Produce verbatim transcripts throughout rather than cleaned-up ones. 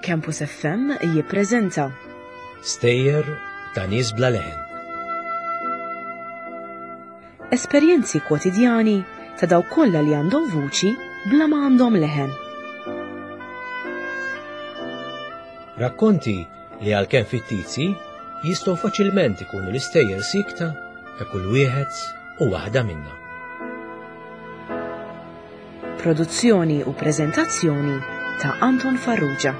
Campus F M jippreżenta Stejjer ta' nies bla leħen. Esperjenzi kwotidjani ta' dawk kollha li għandhom vuċi bla ma għandhom leħen. Rakkonti li għalkemm fittizji jistgħu faċilment ikunu l-istejjer sikta ta' kull wieħed u waħda minna. Produzzjoni u preżentazzjoni ta' Anton Farrugia.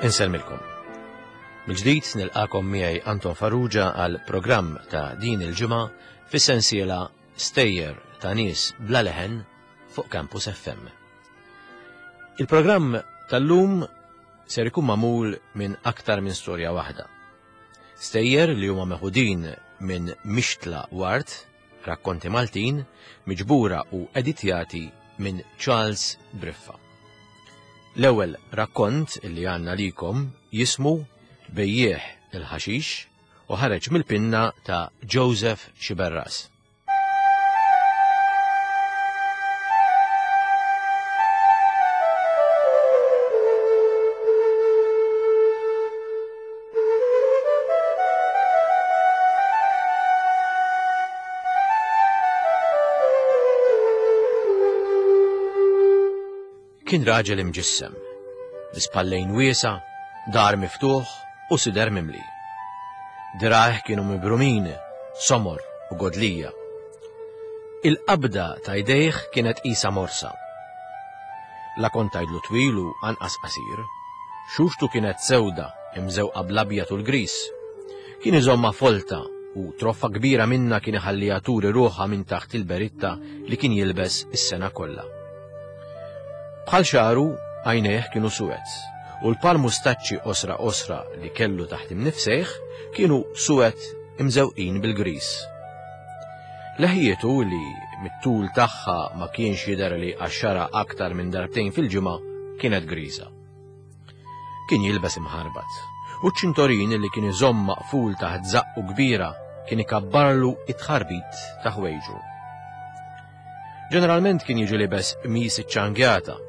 Insellmilkom. Mill-ġdid nilqakom miegħi Anton Farrugia għal programm ta' din il-ġimgħa fis-sensiela Stejjer ta' nies bla leħen fuq Campus F M. Il-programm tal-lum ser ikun magħmul minn aktar minn storja waħda. Stejjer li huma meħudin minn Mixtla Ward, rakkonti Maltin, miġbura u editjati minn Charles Briffa. L-ewwel rakkont li għandna likom jismu Bejjieħ il-ħaxix u ħareġ mill-pinna ta' Joseph Sciberras. Kien raġel imġissem, bi spallejn wiesa, dar miftuħ u sider mimli. Dirajh kienu mibrumin, somor u godlija. Il-qabda ta' jdejh kienet qisha morsa. La kont tgħidlu twil u anqas qasir, xuxtu kienet sewda imżewqa bl-abjad u l-gris. Kien iżomma folta u troffa kbira minna kien iħalliha turi ruħha minn taħt il-beritta li kien jilbes is-sena kollha. Bħal xaru, għajnejh kienu suwed, u l-par mustaċċi osra osra li kellu taħt imnifsejh kienu suwed imżewqin bil-gris. Leħjietu li mit-tul tagħha ma kienx jidher li għaxxara aktar minn darbtejn fil-ġimgħa kienet griża. Kien jilbes imħarbat, u ċ-ċintorin li kien iżomm maqful taħt żaqqu kbira kien ikabbarlu it-tħarbit ta' ħwejġu. Ġeneralment kien jiġi libes qmis iċċangjata,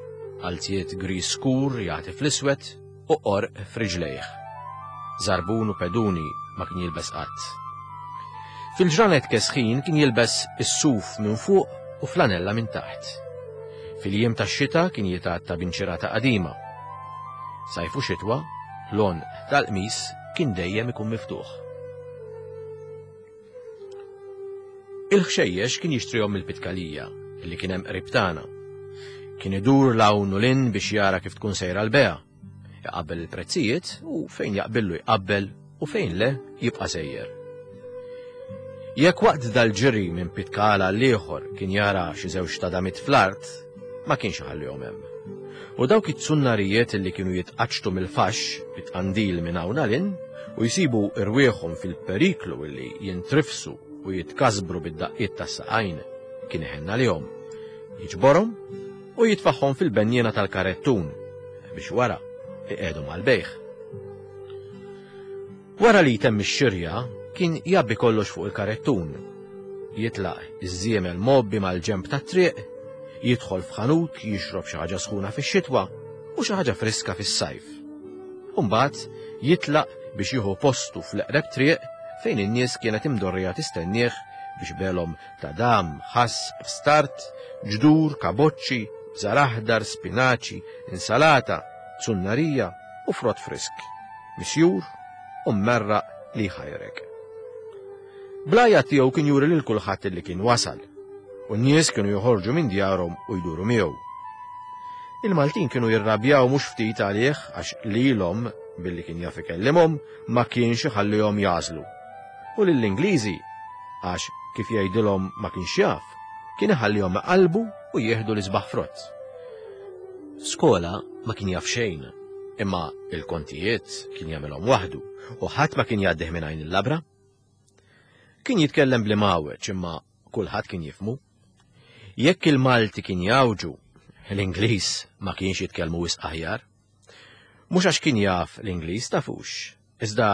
qalziet gris skur jagħti fl-iswed u qorq f'riġlejh. Żarbun u peduni ma kien jilbes qatt. Fil-ġranet kesħin kien jilbes is-suf minn fuq u flanella minn taħt. Fil-jiem tax-xita kien jitgħatta b'inċirata qadima. Sajfu xitwa, l-għonq tal-qmis kien dejjem ikun miftuħ. Il-ħxejjex kien jixtrihom mill-Pitkalija, li kien hemm qrib tagħna. Kien idur l-hawn u l-in biex jara kif tkun sejra l-bejgħa. Iqabbel il-prezzijiet u fejn jaqbillu jqabbel u fejn le jibqa' sejjer. Jekk waqt dal-ġiri minn Pitkala għal ieħor kien jara xi żewġ tadamit fl-art, ma kienx iħallihom hemm. U dawk it-tsunnarijiet li kienu jitqaċċtu mill-faxx bit-tqandil minn hawn għal in u jsibu rwieħhom fil-periklu li jintrifsu u jitkasbru bid-daqqiet tas-saqajn kien iħenn għalihom, jiġborhom u jitfaħħom fil-benniena tal-karettun biex wara iqiegħdu mal-bejħ. Wara li jtemm ix-xirja kien jabbi kollox fuq il-karettun, jitlaq iż-żiemel mobbi mal-ġenb tat-triq, jidħol f'ħanut jixrob xi ħaġa sħuna fix-xitwa u xi ħaġa friska fis-sajf. U mbagħad jitlaq biex jieħu postu fl-eqreb triq fejn in-nies kienet imdorrija tistennieh biex belhom ta' dam, ħass, start, ġdur, kaboċċi, bżar aħdar, spinaċi, insalata, tsunnarija u frott frisk, misjur u mmerraq li jħajrek. Blajja tiegħu kien juri lil kulħadd li kien wasal, u n-nies kienu joħorġu minn djarhom u jduru miegħu. Il-Maltin kienu jirrabjaw mhux ftit għalih għax lilhom billi kien jaf ikellimhom ma kienx iħallihom jażlu. U lill-Ingliżi għax kif jgħidilhom ma kienx jaf, kien iħallihom iqalbu u jieħdu l-isbaħ frott. Skola ma kien jaf xejn, imma il-kontijiet kien jagħmilhom waħdu u ħadd ma kien jgħaddih minn għajn il-labra. Kien jitkellem bl-imgħawweġ imma kulħadd kien jifhmu. Jekk il-Malti kien jgħawġu, l-Ingliż ma kienx jitkellmu wisq aħjar. Mhux għax kien jaf l-Ingliż tafux, iżda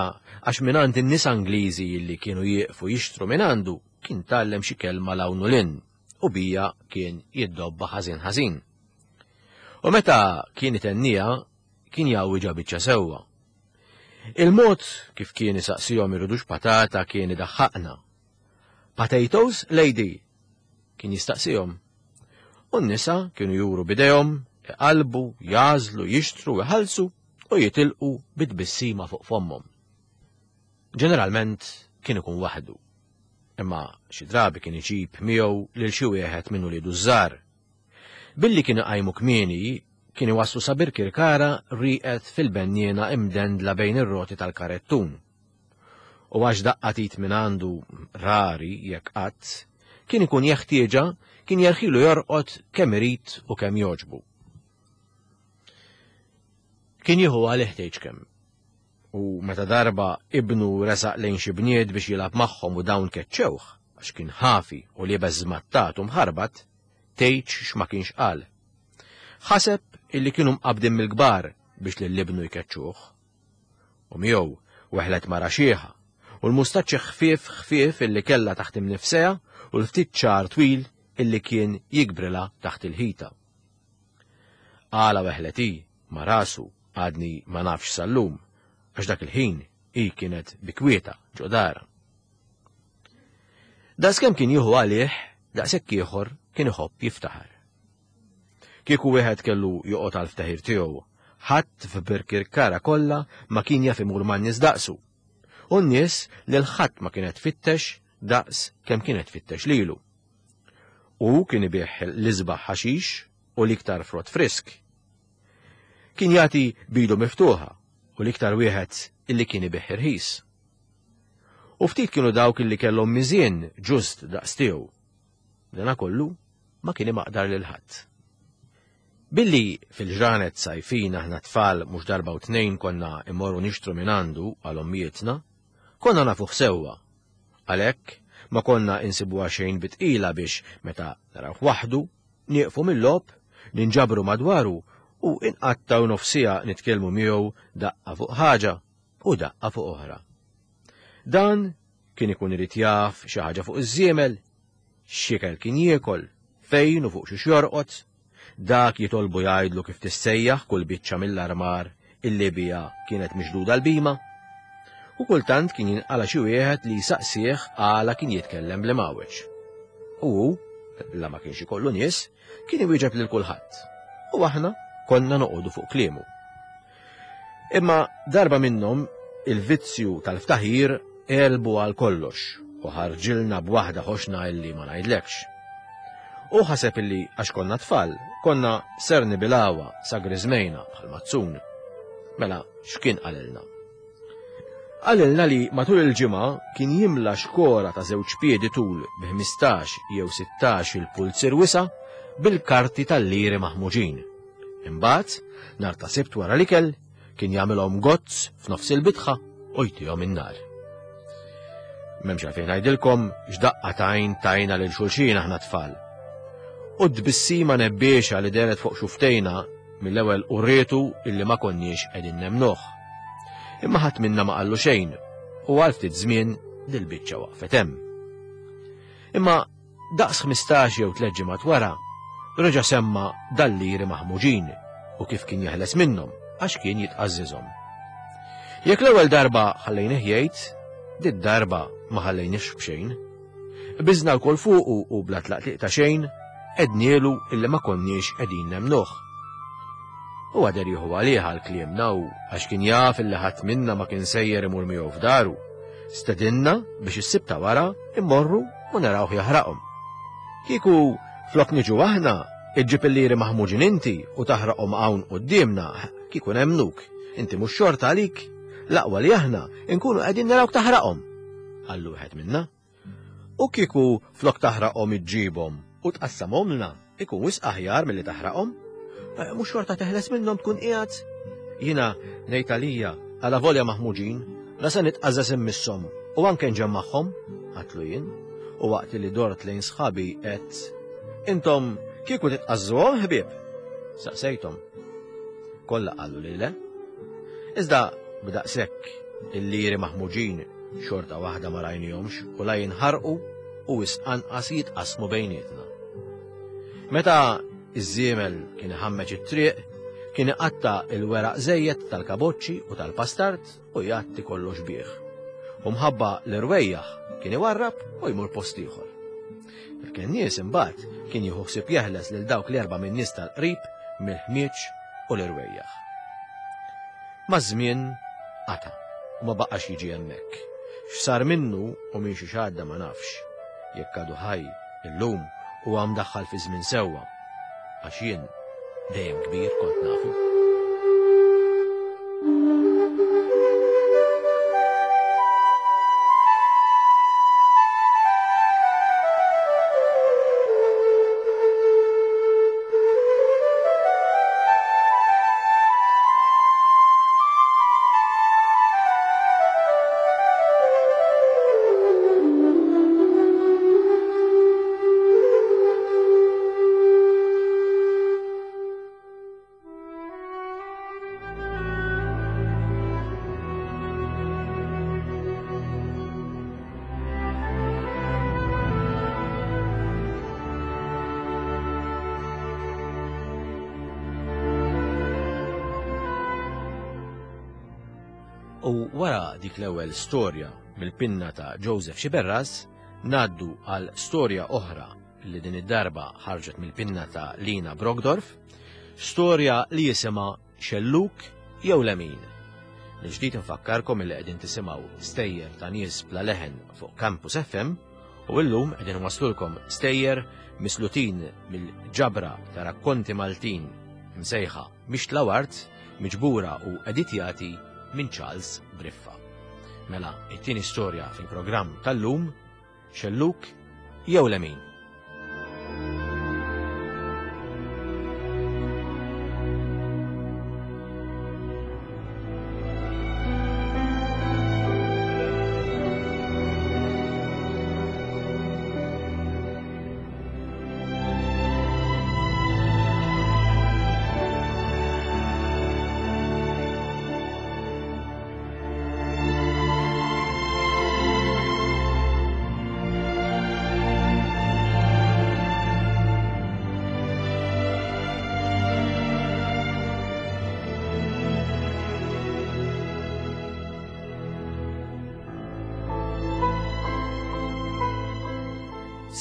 għax mingħand in-nies Ingliżi li kienu jieqfu jixtru mingħandu kien tgħallem xi kelma 'l hawn u 'l hinn u biha kien jiddobba ħażin ħażin. U meta kien itenniha kien jgħawwiġha biċċa sewwa. Il-mod kif kien isaqsihom iridux patata kien idaħħaqna. "Potatoes, lady?" kien jistaqsihom. U n-nisa kienu juru bidejhom, iqalbu, jagħżlu, jixtru, iħallsu u jitilqu bit-tbissima fuq fommhom. Ġeneralment kien ikun waħdu. Imma xi drabi kien iġib miegħu lil xi wieħed minn uliedu żgħar. Billi kien iqajmu kmieni, kien iwasslu sa Birkirkara rieqed fil-benniena imdendla bejn ir-roti tal-karettun. U għax daqqa t'id minn għandu rari jekk qatt, kien ikun jeħtieġa kien jerħilu jorqod kemm irid u kemm jogħġbu. Kien jieħu għalih tgħidx kemm. U meta darba ibnu resaq lejn xi bniet biex jilgħab magħhom u dawn keċċewh għax kien ħafi u liebes żmattat u mħarbat, tgħidx x'ma kienx qal. Ħaseb illi kienu mqabdin mill-kbar biex lil ibnu jkeċċuh. U miegħu weħlet mara xieħa u l-mustaċċi ħfief ħfief illi kellha taħt imnifsejha u l-ftit ċar twil illi kien jikbrilha taħt il-ħita. Għala weħlet hi ma' rasu għadni ma nafx sal-lum, għax dak il-ħin hi kienet bikwieta ġo darha. Daqskemm kien jieħu għalih, daqshekk ieħor kien iħobb jiftaħar. Kieku wieħed kellu joqgħod għal ftaħir tiegħu, ħadd f'Birkirkara kollha ma kien jaf imur man-nies daqsu. U n-nies lil ħadd ma kienet tfittex daqs kemm kienet tfittex lilu. U kien ibigħ l-isbaħ ħaxix u l-iktar frott frisk. Kien jagħti b'idu miftuħa u l-iktar wieħed illi kien ibigħ irħis. U ftit kienu dawk illi kellhom miżien ġust daqs tiegħu. Dana kollu ma kien imaqdar lil ħadd. Billi fil-ġranet sajfin aħna tfal mhux darba u tnejn konna immorru nixtru minn għandu għal ommijietna, konna nafuh sewwa. Għalhekk ma konna insibuha xejn bi tqila biex meta narawh waħdu, nieqfu mill-logħob, ninġabru madwaru u inqattaw nofsija nitkellmu miegħu daqqa fuq ħaġa u daqqa fuq oħra. Dan kien ikun irid jaf xi ħaġa fuq iż-żiemel, x'ikel kien jiekol, fejn u fuq xiex jorqod, dak jitolbu jgħidlu kif tissejjaħ kull biċċa mill-armar illi biha kienet miġduda l-bhima. U kultant kien jinqala xi wieħed li jsaqsih għala kien jitkellem bl-imgħawweġ. U hu, la ma kienx ikollu nies, kien iwieġeb lil kulħadd. U aħna konna noqogħdu fuq kliemu. Imma darba minnhom il-vizzju tal-ftaħir għelbu għal kollox u ħarġilna b'waħda ħoxna illi ma ngħidlekx. U ħaseb illi għax konna tfal, konna ser nibilgħuha sa griżmejna bħal mazzun. Mela, x'kien qalilna? Qalilna li matul il-ġimgħa kien jimla xkora ta' żewġ piedi tul bi ħmistax jew sittax il-pulzier wisa' bil-karti tal-liri maħmuġin. Imbagħad, nhar ta' Sibt wara l-ikel, kien jagħmilhom gozz f'nofs il-bitħa u jtihom in-nar. M'hemmx għalfejn ngħidilkom x'daqqa t'għajn tajna lil xulxin aħna tfal. U t-tbissima nebbiexa li dehret fuq xuftejna mill-ewwel urrietu illi ma konniex qegħdin nemnuh. Imma ħadd minna ma qallu xejn u għal ftit żmien dil-biċċa waqfet hemm. Imma daqs ħmistax jew tliet ġimgħat wara, reġa' semma dal-liri maħmuġin u kif kien jeħles minnhom għax kien jitqażżiżhom. Jekk l-ewwel darba ħallejnih jgħid, did-darba ma ħallejniex b'xejn. Biżna lkoll fuqu u bla tlaqliq ta' xejn, għednielu illi ma konniex qegħdin nemnuh. U għader jieħu għalih għal kliemna u għax kien jaf illi ħadd minna ma kien sejjer imur miegħu f'daru. Stedinna biex is-Sibt ta' wara immorru u narawh jaħraqhom. Kieku flok niġu aħna, iġġib il-liri maħmuġin inti u taħraqhom hawn quddiemna, kieku nemmnuk. Inti mhux xorta għalik, l-aqwa li aħna nkunu qegħdin narawk taħraqhom, qallu wieħed minna. U kieku flok taħraqhom iġġibhom u tqassamhomlna, ikun wisq aħjar milli taħraqhom. Eh, mhux xorta teħles minnhom tkun qiegħed. Jiena ngħid għalija għala volja maħmuġin, la se nitqażżeż immisshom u anke nġemmagħhom, għatlu jien, u waqt li dort lejn sħabi qed Intom kieku titqażżuhom ħbieb? Saqsejthom. Kollha qalu li le. Iżda b'daqshekk il-liri maħmuġin xorta waħda ma rajnihomx u la jinħarqu u wisq anqas jitqasmu bejnietna. Meta iż-żiemel kien iħammeġ it-triq, kien iqatta' il-weraq żejjed tal-kaboċċi u tal-pastard u jgħatti kollox bih. U mħabba l-irwejjaħ kien iwarrab u jmur post ieħor. Il-kennies imbagħad kien jieħu ħsieb jeħles lil dawk l-erba' min-nies tal-qrib mill-ħmieġ u l-irwejjaħ. Maż-żmien qata' u ma baqax jiġi hemmhekk. X'sar minnu u minn xi xadda ma nafx. Jekk għadu ħaj illum huwa mdaħħal fi żmien sewwa, għax jien dejjem kbir kont nafu. U wara dik l-ewwel storja mill-pinna ta' Joseph Sciberras, ngħaddu għal storja oħra li din id-darba ħarġet mill-pinna ta' Lina Brockdorff, storja li jisimha Xelluk jew Lemin. L-ġdid infakkarkom li qegħdin tisimgħu stejjer ta' nies bla leħen fuq Campus F M u llum qegħdin waslulkom stejjer mislutin mill-ġabra ta' rakkonti Maltin msejħa Mixtla Wart, miġbura u editjati minn Charles Briffa. Mela, it-tieni storja fil-programm tal-lum, Xelluk jew Lemin.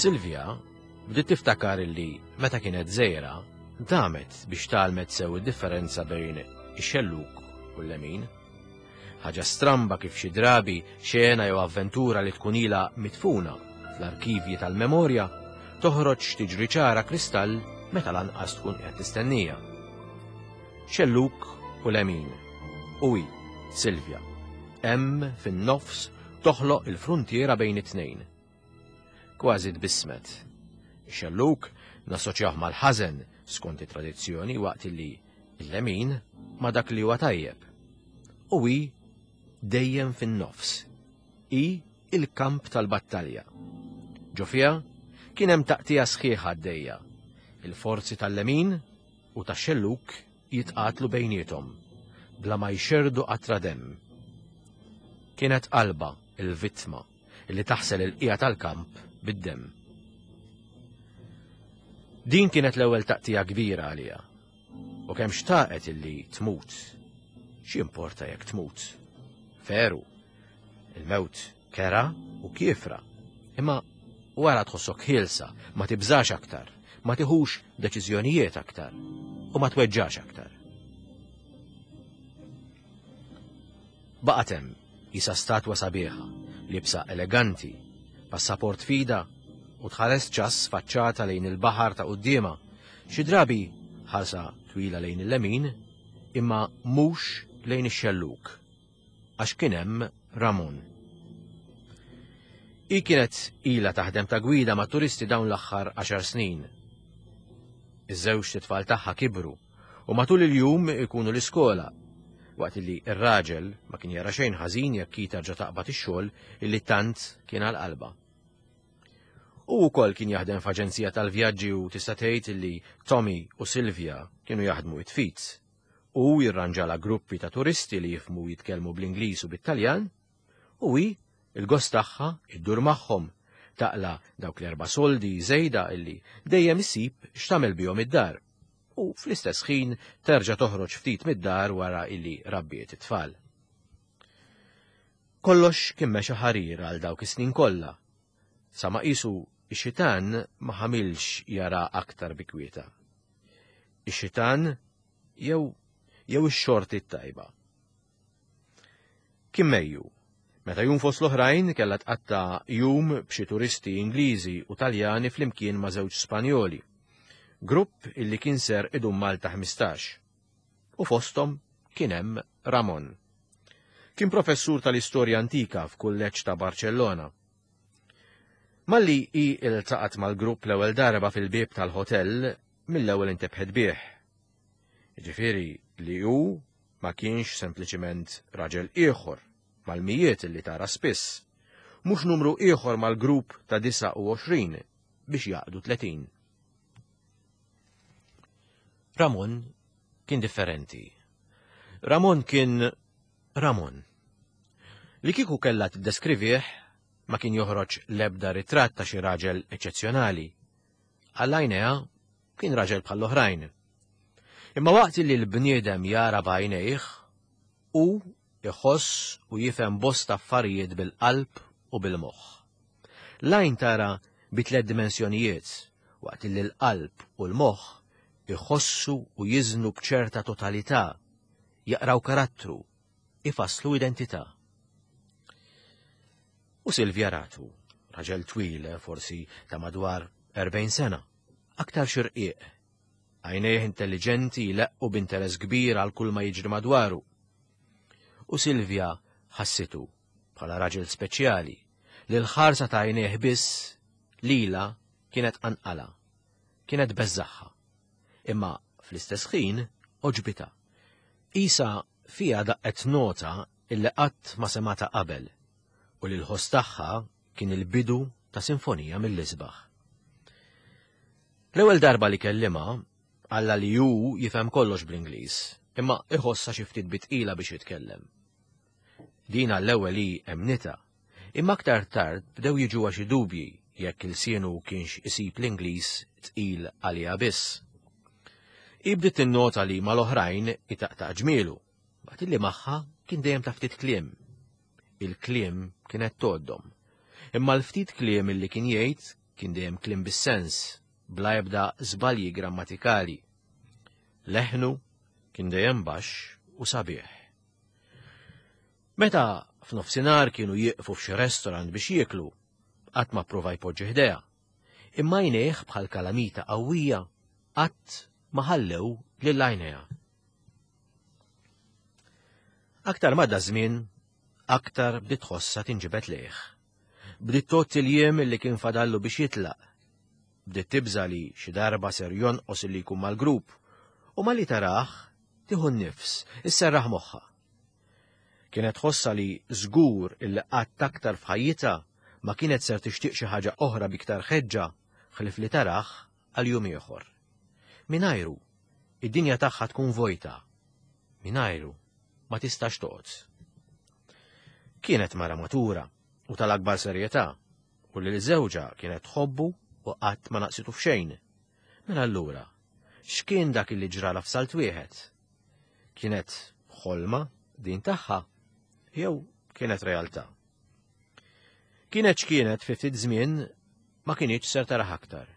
Silvia bdiet tiftakar illi meta kienet żgħira damet biex tgħallmet sew id-differenza bejn ix-xelluk u l-lemin. Ħaġa stramba kif xi drabi xena jew avventura li tkun ilha mitfuna fl-arkivji tal-memorja toħroġ tiġri ċara kristall meta lanqas tkun qed tistennija. Xelluk u lemin. U hi, Silvia, hemm fin-nofs toħloq il-fruntiera bejn it-tnejn. Kważi tbissmet. Ix-xelluk nassoċjah mal-ħażen skont it-tradizzjoni waqt li l-lemin ma dak li huwa tajjeb. U hi dejjem fin-nofs. Hi il-kamp tal-battalja. Ġo fiha kien hemm taqtija sħiħa għaddejja. Il-forzi tal-lemin u tax-xelluk jitqatlu bejniethom bla ma jxerdu qatra demm. Kienet qalba il-vittma li taħsel il-qija tal-kamp bid-demm. Din kienet l-ewwel taqtija kbira għaliha. U kemm xtaqet illi tmut. X'importa jekk tmut? Veru, il-mewt kera u kiefra. Imma wara tħossok ħielsa, ma tibżax aktar, ma tiħux deċiżjonijiet aktar u ma tweġġax aktar. Baqgħet hemm qisha statwa sabiħa, libsa eleganti, passaport fida u tħares ċass faċċata lejn il-baħar ta' quddiemha, xi drabi ħarsa twila lejn il-lemin, imma mhux lejn ix-xelluk, għax kien hemm Ramon. Hi kienet ilha taħdem ta' gwida ma' turisti dawn l-aħħar għaxar snin. Iż-żewġ tfal tagħha kibru u matul il-jum ikunu l-iskola, waqt li r-raġel ma kien jara xejn ħażin jekk hi terġa' taqbad ix-xogħol illi tant kien għal qalbha. U wkoll kien jaħdem f'aġenzija tal-vjaġġi u tista' tgħid li Tommy u Silvia kienu jaħdmu it-fit. U jirranġala gruppi ta' turisti li jifhmu jitkellmu bl-Ingliż u bit-Taljan, u hi il-gost tagħha iddur magħhom, taqla dawk l-erba' soldi żejda illi dejjem issib x'tagħmel bihom id-dar. U fl-istess ħin terġa' toħroġ ftit mid-dar wara illi rabbiet it-tfal. Kollox kien mexa ħarir għal dawk is-snin kollha. Sa ma qisu ix-xitan ma ħamilx jara aktar bikwieta. Ix-xitan jew jew ix-xorti t-tajba. Kien Mejju, meta jum fost l-oħrajn kellha tqatta' jum b'xi turisti Ingliżi u Taljani flimkien ma' żewġ Spanjoli. Grupp illi kien ser idum Malta ħmistax. U fosthom kien hemm Ramon. Kien professur tal-istorja antika f'kulleġġ ta' Barcellona. Malli hi iltaqat mal-grupp l-ewwel darba fil-bieb tal-hotel, mill-ewwel intebħet bih. Jiġifieri li hu ma kienx sempliċiment raġel ieħor mal-mijiet li tara spiss, mhux numru ieħor mal-grupp ta' disgħa u għoxrin biex jaqdu tletin. Ramon kien differenti. Ramon kien Ramon. Li kieku kellha tiddeskrivih ma kien joħroġ l-ebda ritratt ta' xi raġel eċċezzjonali. Għall-għajnejha kien raġel bħall-oħrajn. Imma waqt li l-bniedem jara b'għajnejh, hu iħoss u jifhem bosta affarijiet bil-qalb u bil-moħħ. L-għajn tara bi tliet dimensjonijiet, waqt li l-qalb u l-moħħ iħossu u jiżnu b'ċerta totalità, jaqraw karattru, ifasslu identità. U Silvia ratu, raġel twil, forsi ta' madwar erbgħin sena, aktar xirqiq, għajnejh intelligenti jleqqu b'interess kbir għal kull ma jiġri madwaru. U Silvia ħassitu bħala raġel speċjali li l-ħarsa ta' għajnejh biss lila kienet anqala, kienet beżaħħa. Imma fl-istess ħin oġbita. Isa fija daqqet nota illi qatt ma semata qabel u li l-ħoss tagħha kien il-bidu ta' sinfonija mill-isbaħ. L-ewwel darba li kellimha qalla li hu jifhem kollox bl-Ingliż, imma iħossha xi ftit bitqila biex jitkellem. Din għall-ewwel hi emnita, imma aktar tard bdew jiġuha xi dubji jekk il-sienu kienx isib l-Ingliż tqil għaliha biss. Hi bdiet tinnota li mal-oħrajn itaqtaq ġmielu, waqt li magħha kien dejjem ta' ftit kliem. Il-kliem kienet tgħoddhom. Imma l-ftit kliem illi kien jgħid kien dejjem kliem bis-sens, bla ebda żbalji grammatikali. Leħnu kien dejjem baxx u sabiħ. Meta f'nofsinhar kienu jieqfu f'xi restorant biex jieklu, qatt ma pprova jpoġġi ħdejha. Imma għajnejh bħal kalamita qawwija qatt ma ħallew lil għajnejha. Aktar ma da żmien, aktar bdiet tħossha tinġibed lejh. Bdiet tgħodd il-jiem li kien fadallu biex jitlaq. Bdiet tibża li xi darba ser jonqos illi jkun mal-grupp u malli tarah tieħu n-nifs, isserraħ moħħha. Kienet tħossha li żgur illi qatt aktar f'ħajjitha ma kienet ser tixtieq xi ħaġa oħra biktar ħeġġa ħlief li tarah għal jum ieħor. Mingħajru, id-dinja tagħha tkun vojta. Mingħajru ma tistax toqgħod. Kienet mara matura u tal-akbar serjetà u li l-żewġa kienet tħobbu u qatt ma naqsitu f'xejn. Mela allura, x'kien dak li ġrala f'salt wieħed? Kienet ħolma din tagħha jew kienet realtà? Kienet x'kienet fi ftit żmien ma kinitx ser taraħ aktar.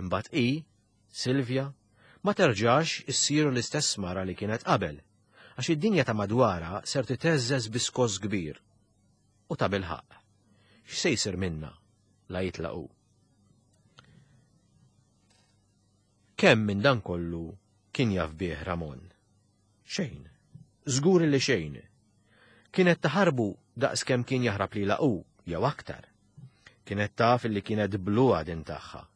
Imbagħad hi, Silvia, ma terġax issir l-istess mara li kienet qabel, għax id-dinja ta' madwara ser titeżżeż bi skoss kbir. U ta' bilħaq, x'se jsir minna la jitlaqu? Kemm minn dan kollu kien jaf bih Ramon? Xejn, żgur li xejn. Kienet taħarbu daqs kemm kien jaħrab lilha hu jew aktar. Kienet taf li kienet bluha din tagħha.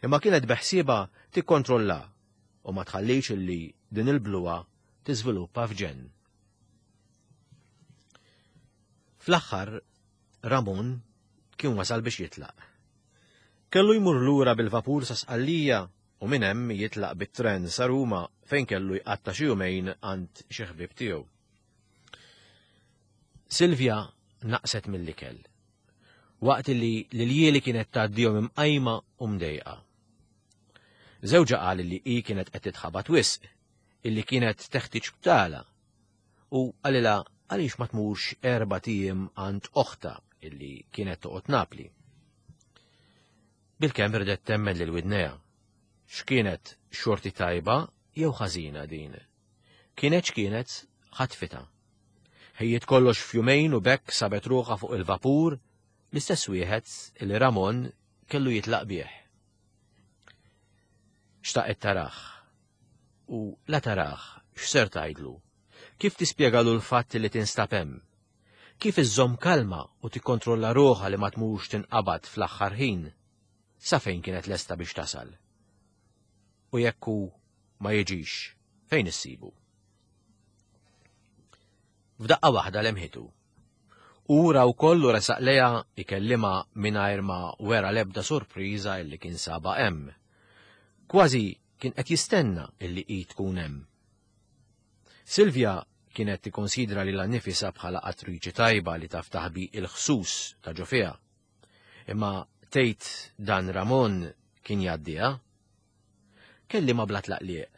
Imma kienet beħsieba tikkontrolla u ma tħallix illi din il-bluha tiżviluppa f'ġenn. Fl-aħħar, Ramon kien wasal biex jitlaq. Kellu jmur lura bil-vapur sa Sqallija u minn hemm jitlaq bit-tren sa Ruma fejn kellu jqatta' xi jumejn għand xi ħbieb tiegħu. Silvia naqset mill-ikel, waqt li l-iljieli kienet tgħaddihom imqajma u mdejqa. Żewġha qal li hi kienet qed titħabat wisq, illi kienet teħtieġ btala, u qalilha għaliex ma tmurx erbat ijiem għand oħtha illi kienet toqgħod Napli. Bilkemm ridet temmen lil widnejha. X'kienet xorti tajba jew ħażina din? Kienet x'kienet ħatfitha. Ħejjiet kollox f'jumejn u b'hekk sabet ruħha fuq il-vapur, l-istess wieħed illi Ramon kellu jitlaq bih. Xtaqet tarah. U la tarah, x'ser tgħidlu? Kif tispjegalu l-fatt li tinstab hemm? Kif iżżomm kalma u tikkontrolla ruħha li ma tmurx tinqabad fl-aħħar ħin? Sa fejn kienet lesta biex tasal? U jekk hu ma jiġix, fejn issibu? F'daqqa waħda lemħitu. U ra wkoll u resaq lejha ikellimha mingħajr ma wera l-ebda sorpriża illi kien saba hemm. Kważi kien qed jistenna illi hi tkun hemm. Silvia kienet tikkonsidra lilha nnifisha bħala attriċi tajba li taf taħbi il-ħsus ta' ġo fiha. Imma tgħid dan Ramon kien jgħaddiha? Kellimha bla tlaqliq.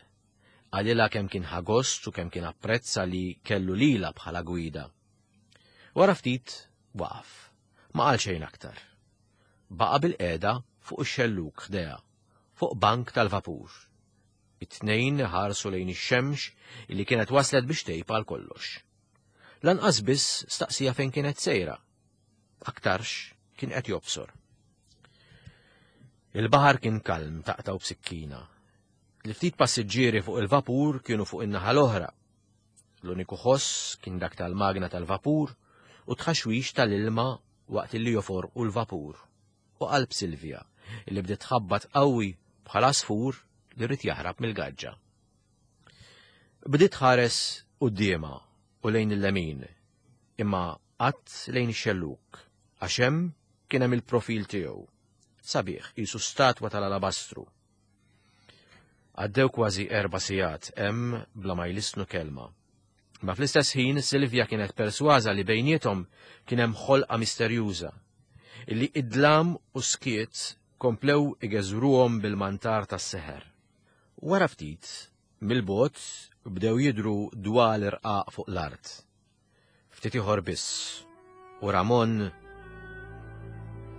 Qalilha kemm kien ħa gost u kemm kien apprezza li kellu lilha bħala gwida. Wara ftit waqaf, ma qal xejn aktar. Baqa' bilqiegħda fuq ix-xellug ħdejha, fuq bank tal-vapur. It-tnejn ħarsu lejn ix-xemx illi kienet waslet biex tgħib għal kollox. Lanqas biss staqsija fejn kienet sejra. Aktarx kien qed jobsor. Il-baħar kien kalm taqtgħu b'sikkina. L-ftit passiġġieri fuq il-vapur kienu fuq in-naħa l-oħra. L-uniku ħoss kien dak tal-magna tal-vapur u tħaxwix tal-ilma waqt li joforqu l-vapur. U qalb Silvia, illi bdiet tħabbat qawwi bħal għasfur li rrid jaħrab mill-gaġġa. Bdiet tħares quddiemha u lejn il-lemin, imma qatt lejn ix-xellug, għax hemm kien hemm il-profil tiegħu. Sabiħ, qisu statwa tal-alabastru. Għaddew kważi erba' sigħat hemm bla ma jlissnu kelma. Ma fl-istess ħin Silvia kienet persważa li bejniethom kien hemm ħolqa misterjuża, illi id-dlam u skiet komplew igeżruhom bil-mantar tas-seħer. Wara ftit, mill-bogħod bdew jidhru dwal irqaq fuq l-art. Ftit ieħor biss, u Ramon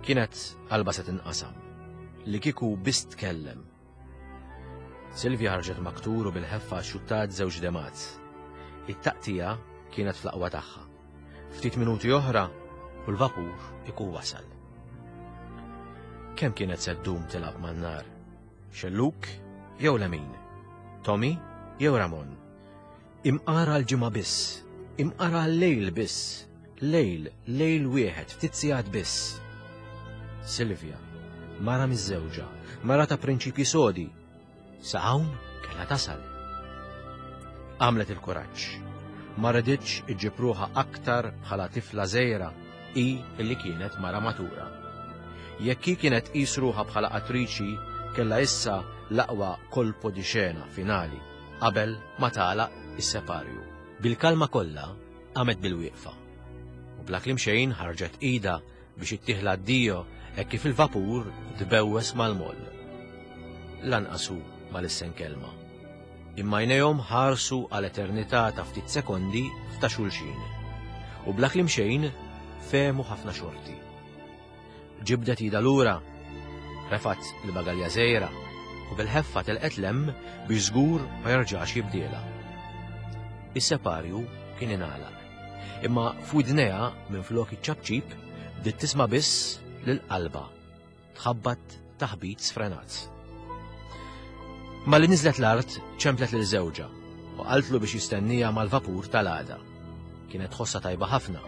kienet qalbha se tinqasam, li kieku biss tkellem. Silvia ħarġet maktur u bil-ħeffa xuttat żewġ demgħat. It-taqtija kienet fl-aqwa tagħha. Ftit minuti oħra u l-vapur ikun wasal. Kemm kienet se ddum tilgħab man-nar? Xellug jew lemin? Tommy jew Ramon? Imqar għal ġimgħa biss, imqar għal lejl biss, lejl, lejl wieħed, ftit sigħat biss. Silvia, mara miżżewġa, mara ta' prinċipji sodi, sa hawn kellha tasal. Għamlet il-kuraġġ. Ma riditx iġġib ruħha aktar bħala tifla żgħira hi illi kienet mara matura. Jekk hi kienet tqis ruħha bħala attriċi, kellha issa l-aqwa colpo di scena finali qabel ma tagħlaq is-separju. Bil-kalma kollha qamet bil-wieqfa. U bla kliem xejn ħarġet idha biex ittih l-addio hekk kif il-vapur tbewwes mal-moll. Lanqas hu ma lissen kelma. Imma għajnejhom ħarsu għal eternità ta' ftit sekondi f'ta' xulxin. U bla kliem xejn fehmu ħafna xorti. Ġibdet idha lura, refat il-bagalja żgħira u bil-ħeffa telqet 'l hemm biex żgur ma jerġax jibdielha. Is-separju kien ingħalaq. Imma f'widnejha minflok iċ-ċapċip bdiet tisma' biss lil qalbha tħabbat taħbit sfrenat. Malli niżlet l-art ċemplet lil żewġha u qaltlu biex jistennija mal-vapur tal-għada. Kienet tħossha tajba ħafna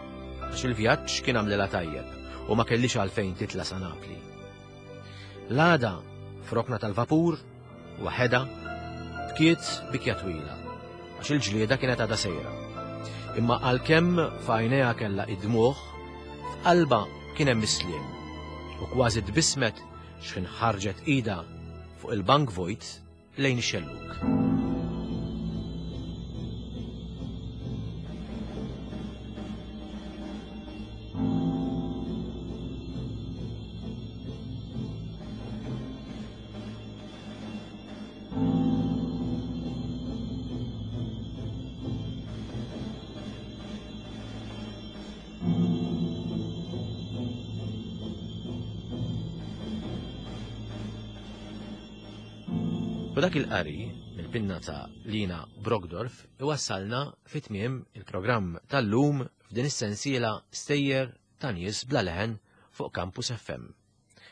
għax il-vjaġġ kien għamlilha tajjeb u ma kellix għalfejn titla' sa Napli. L-għada f'rokna tal-vapur, waħedha, bkiet bikja twila għax il-ġlieda kienet għadha sejra. Imma għalkemm f'għajnejha kellha id-dmugħ, f'qalbha kien hemm is-sliem u kważi tbissmet x'ħin ħarġet idha fuq il-bank vojt lejn ix-xellug. U dak il-qari mill-pinna ta' Lina Brockdorff iwassalna fi tmiem il-programm tal-lum f'din is-sensiela Stejjer ta' nies bla leħen fuq Campus F M.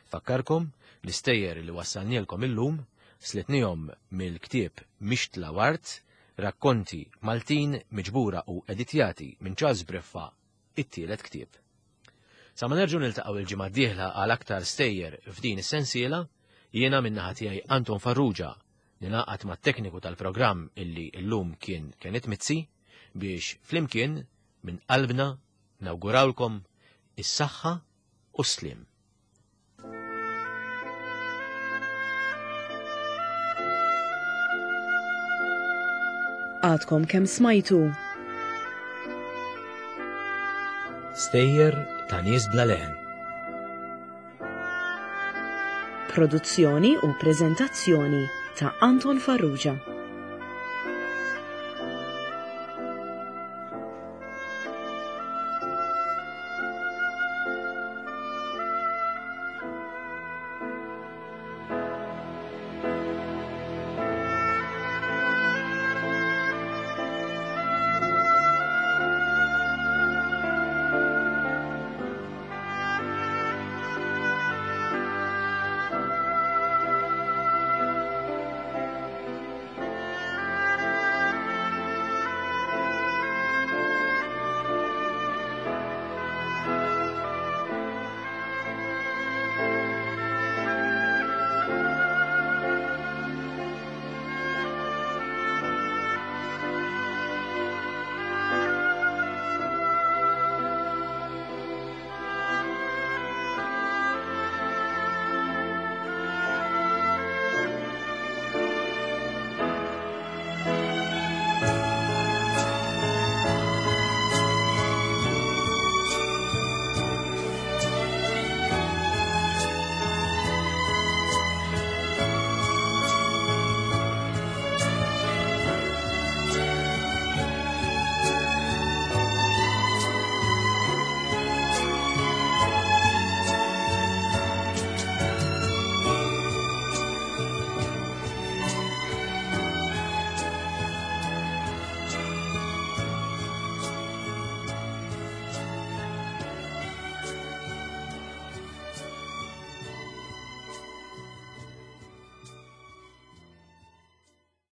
Fakkarkom l-istejjer li wassalnielkom illum slitnihom mill-ktieb Mixtla Wart, rakkonti Maltin miġbura u editjati minn Charles Briffa, it-tielet ktieb. Sa ma nerġgħu niltaqgħu il-ġimgħa d-dieħla għal aktar stejjer f'din is-sensiela, jiena min-naħa tiegħi Anton Farrugia ninaqat mat-tekniku tal-programm illi llum kien Kenneth Mizzi biex flimkien minn qalbna nawgurawlkom is-saħħa u s-slim. Għadkom kemm smajtu Stejjer ta' nies bla leħen. Produzzjoni u preżentazzjoni ta' Anton Farrugia.